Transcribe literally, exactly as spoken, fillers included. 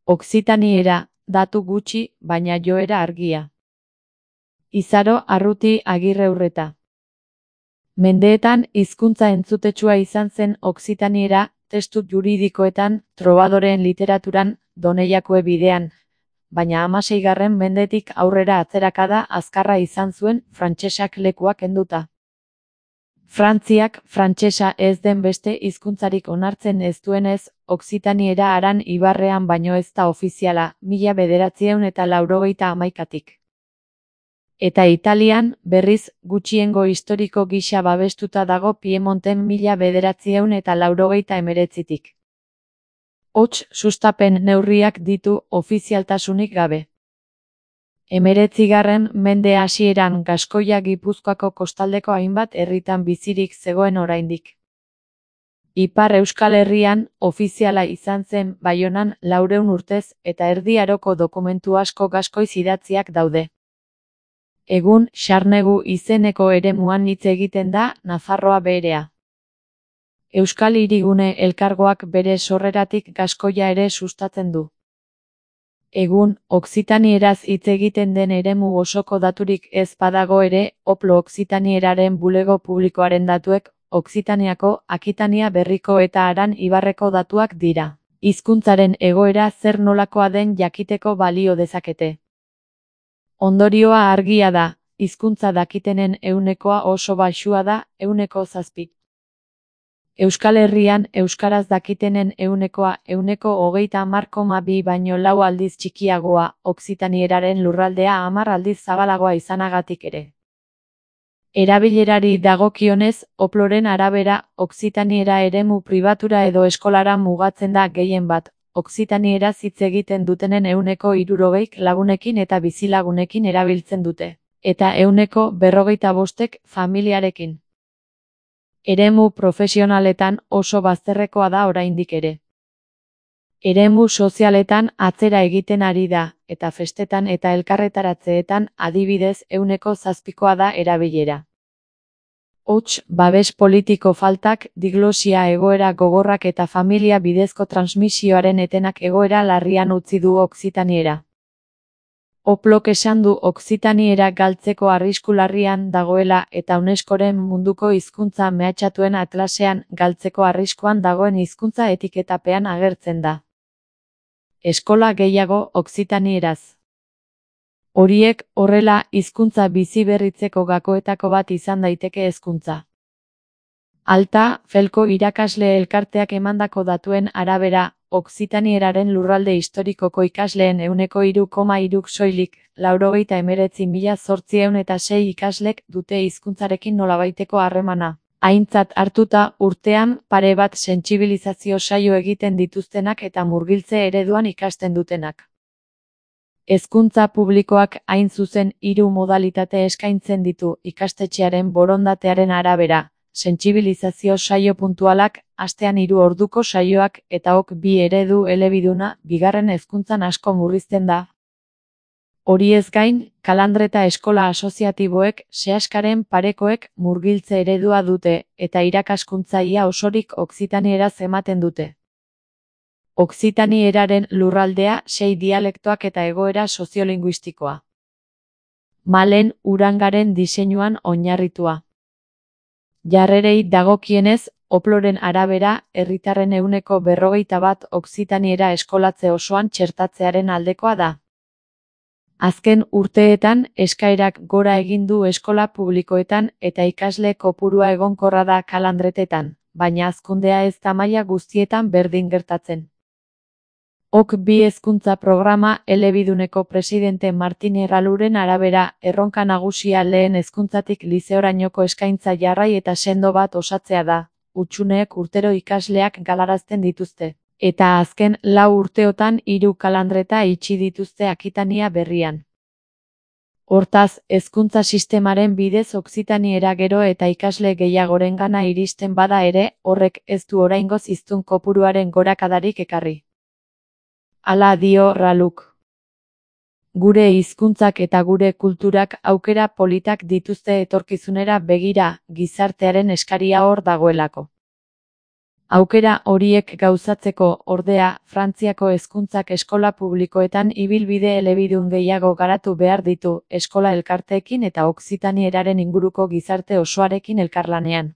Okzitaniera, datu gutxi, baina joera argia. Izaro Arruti Agirreurreta. Mendeetan hizkuntza entzutetsua izan zen okzitaniera, testu juridikoetan, trobadoreen literaturan, Doneiakue bidean, baina hamaseigarren mendetik aurrera atzerakada azkarra izan zuen frantsesak lekua kenduta. Frantziak frantsesa ez den beste hizkuntzarik onartzen ez duenez, okzitaniera Aran Ibarrean baino ez da ofiziala, mila bederatziehun eta laurogeita hamaikatik. Eta Italian, berriz, gutxiengo historiko gisa babestuta dago Piemonten mila bederatziehun eta laurogeita hemeretzitik. Hots, sustapen neurriak ditu ofizialtasunik gabe. Hemeretzigarren mende hasieran Gaskoia Gipuzkoako kostaldeko hainbat herritan bizirik zegoen oraindik. Ipar Euskal Herrian, ofiziala izan zen Baionan laurehun urtez eta Erdi Aroko dokumentu asko gaskoiz idatziak daude. Egun, Xarnegu izeneko eremuan hitz egiten da Nafarroa berea. Euskal Hirigune Elkargoak bere sorreratik Gaskoia ere sustatzen du. Egun, okzitanieraz hitz egiten den eremu osoko daturik ez badago ere, Oplo Okzitanieran bulego publikoaren datuek, Okzitaniako, Akitania Berriko eta Aran Ibarreko datuak dira. Hizkuntzaren egoera zer nolakoa den jakiteko balio dezakete. Ondorioa argia da, hizkuntza dakitenen ehunekoa oso baxua da, ehuneko zazpi. Euskal Herrian euskaraz dakitenen ehunekoa ehuneko hogeita hamar koma bi baino lau aldiz txikiagoa, okzitanieraren lurraldea hamar aldiz zabalagoa izanagatik ere. Erabilerari dagokionez, Oploren arabera, okzitaniera eremu pribatura edo eskolara mugatzen da gehien bat, okzitanieraz hitz egiten dutenen ehuneko hirurogeik lagunekin eta bizilagunekin erabiltzen dute, eta ehuneko berrogeita bostek familiarekin. Eremu profesionaletan oso bazterrekoa da oraindik ere. Eremu sozialetan atzera egiten ari da, eta festetan eta elkarretaratzeetan adibidez ehuneko zazpikoa da erabilera. Hots, babes politiko faltak, diglosia egoera gogorrak eta familia bidezko transmisioaren etenak egoera larrian utzi du okzitaniera. Oplok esan du okzitaniera galtzeko arrisku larrian dagoela eta UNESCOren munduko hizkuntza mehatxatuen atlasean galtzeko arriskuan dagoen hizkuntza etiketapean agertzen da. Eskola gehiago okzitanieraz. Horiek, horrela, hizkuntza bizi berritzeko gakoetako bat izan daiteke hezkuntza. Alta, Felko irakasle elkarteak emandako datuen arabera, okzitanieraren lurralde historikoko ikasleen ehuneko hiru koma hiruk soilik, laurogeita hemeretzi mila zortziehun eta sei ikaslek dute hizkuntzarekin nolabaiteko harremana. Aintzat hartuta, urtean, pare bat sentsibilizazio saio egiten dituztenak eta murgiltze ereduan ikasten dutenak. Hezkuntza publikoak hain zuzen hiru modalitate eskaintzen ditu ikastetxearen borondatearen arabera, sentsibilizazio saio puntualak, astean hiru orduko saioak eta ok bi eredu elebiduna, bigarren hezkuntzan asko murrizten da. Horiez gain, kalandreta eskola asoziatiboek, sehaskaren parekoek murgiltze eredua dute, eta irakaskuntza ia osorik okzitanieraz ematen dute. Okzitanieran lurraldea, sei dialektoak eta egoera soziolinguistikoa. Malen Urangaren diseinuan oinarritua. Jarrerei dagokienez, Oploren arabera, herritarren ehuneko berrogeita bat okzitaniera eskolatze osoan txertatzearen aldekoa da. Azken urteetan, eskaerak gora egin du eskola publikoetan eta ikasle kopurua egonkorra da kalandretetan, baina hazkundea ez da maila guztietan berdin gertatzen. Ok bi hezkuntza programa elebiduneko presidente Martin Erraluren arabera, erronka nagusia lehen hezkuntzatik lizeorainoko eskaintza jarrai eta sendo bat osatzea da, hutsuneek urtero ikasleak galarazten dituzte, eta azken lau urteotan hiru kalandreta itxi dituzte Akitania Berrian. Hortaz, hezkuntza sistemaren bidez okzitaniera gero eta ikasle gehiagorengana iristen bada ere, horrek ez du oraingoz hiztun kopuruaren gorakadarik ekarri. Hala dio Raluk. Gure hizkuntzak eta gure kulturak aukera politak dituzte etorkizunera begira, gizartearen eskaria hor dagoelako. Aukera horiek gauzatzeko, ordea, Frantziako hezkuntzak eskola publikoetan ibilbide elebidun gehiago garatu behar ditu, eskola elkarteekin eta okzitanieraren inguruko gizarte osoarekin elkarlanean.